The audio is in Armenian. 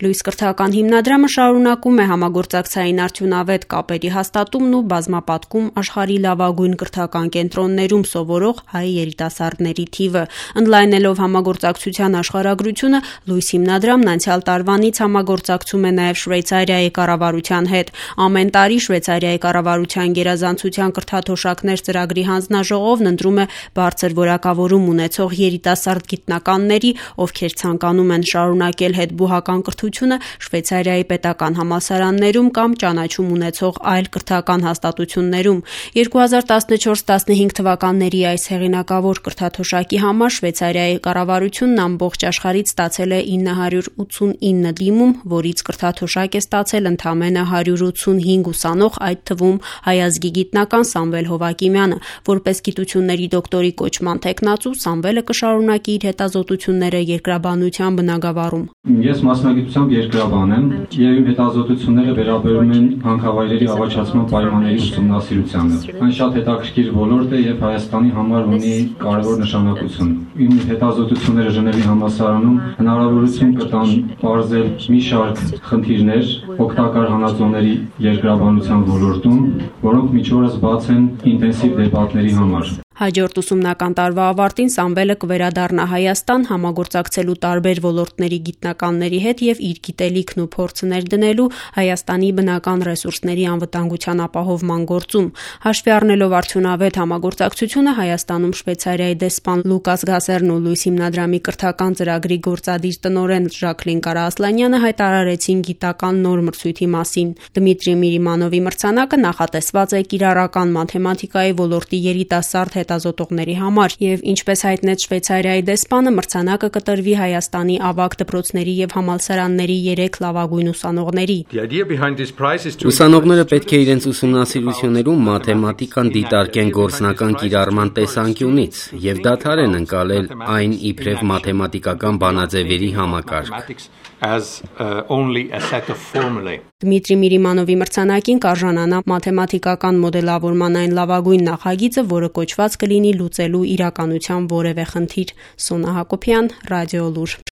Լույս կրթական հիմնադրամը շարունակում է համագործակցային արդյունավետ կապերի հաստատումն ու բազմապատկում աշխարհի լավագույն կրթական կենտրոններում սովորող հայ երիտասարդների թիվը։ Ընդլայնելով համագործակցության աշխարհագրությունը, Լույս հիմնադրամն անցյալ տարվանից համագործակցում է նաև Շվեյցարիայի կառավարության հետ։ Ամեն տարի Շվեյցարիայի կառավարության գերազանցության կրթաթոշակներ ծրագրի հանձնաժողովն ընտրում է բարձր որակավորում ունեցող երիտասարդ գիտնականների, ովքեր ցանկանում են շարունակել հետբուհական կրթությունը Շվեյցարիայի պետական համալսարաններում կամ ճանաչում ունեցող այլ կրթական հաստատություններում։ 2014-15 թվականների այս հեղինակավոր կրթաթոշակի համար Շվեյցարիայի կառավարությունն ամբողջ աշխարհից ստացել է 989 դիմում, որից կրթաթոշակ է ստացել ընդամենը 185 ուսանող, այդ թվում հայ ազգի գիտնական Սամվել Հովակիմյանը։ Որպես գիտությունների դոկտորի կոչման թեկնածու Սամվելը կշարունակի իր հետազոտությունները երկրաբանության բնագավառում։ Ես մասնագիտությամբ երկրաբան եմ եւ իմ հետազոտությունները վերաբերում են հանքավայրերի ավաչացման պայմանների ուսումնասիրությանը։ Այն շատ հետաքրքիր ոլորտ է եւ Հայաստանի համար ունի կարևոր նշանակություն։ Իմ հետազոտությունները Ժնևի համալսարանում հնարավորություն կտան բարձել մի շարք խնդիրներ օգտակար հանածոների երկրաբանության ոլորտում, որոնք մինչ օրս բաց են ինտենսիվ դեպատների համար։ Հաջորդ ուսումնական տարվա ավարտին Սամվելը կվերադառնա Հայաստան համագործակցելու տարբեր ոլորտների գիտնականների հետ եւ իր գիտելիքն ու փորձը ներդնելու Հայաստանի բնական ռեսուրսների անվտանգության ապահովման գործում։ Հաշվի առնելով արդյունավետ համագործակցությունը, Հայաստանում Շվեյցարիայի դեսպան Լուկաս Գասերն ու Լույս հիմնադրամի կրթական ծրագրի գործադիր տնօրեն Ժակլին Կարաասլանյանը հայտարարեցին գիտական նոր մրցույթի մասին։ Դմիտրի Միրիմանովի մրցանակը նախատեսված է կիրառական մաթեմատիկայի ոլորտի երիտասարդ հետազոտողների համար եւ ինչպես հայտնեց Շվեյցարիայի դեսպանը, մրցանակը կտրվի Հայաստանի ավագ դպրոցների եւ համալսարանների 3 լավագույն ուսանողների։ Ուսանողները պետք է իրենց ուսումնասիրություններում մաթեմատիկան դիտարկեն գործնական կիրառման տեսանկյունից եւ դադարեն ընկալել այն իբրև մաթեմատիկական բանաձևերի համակարգ։ Դմիտրի Միրիմանովի մրցանակին կարժանանա մաթեմատիկական մոդելավորման այն լավագույն նախագիծը, որը կոչված կլինի լուծելու իրականության որևէ խնդիր։ Սոնա Հակոբյան, Ռադիոլուր։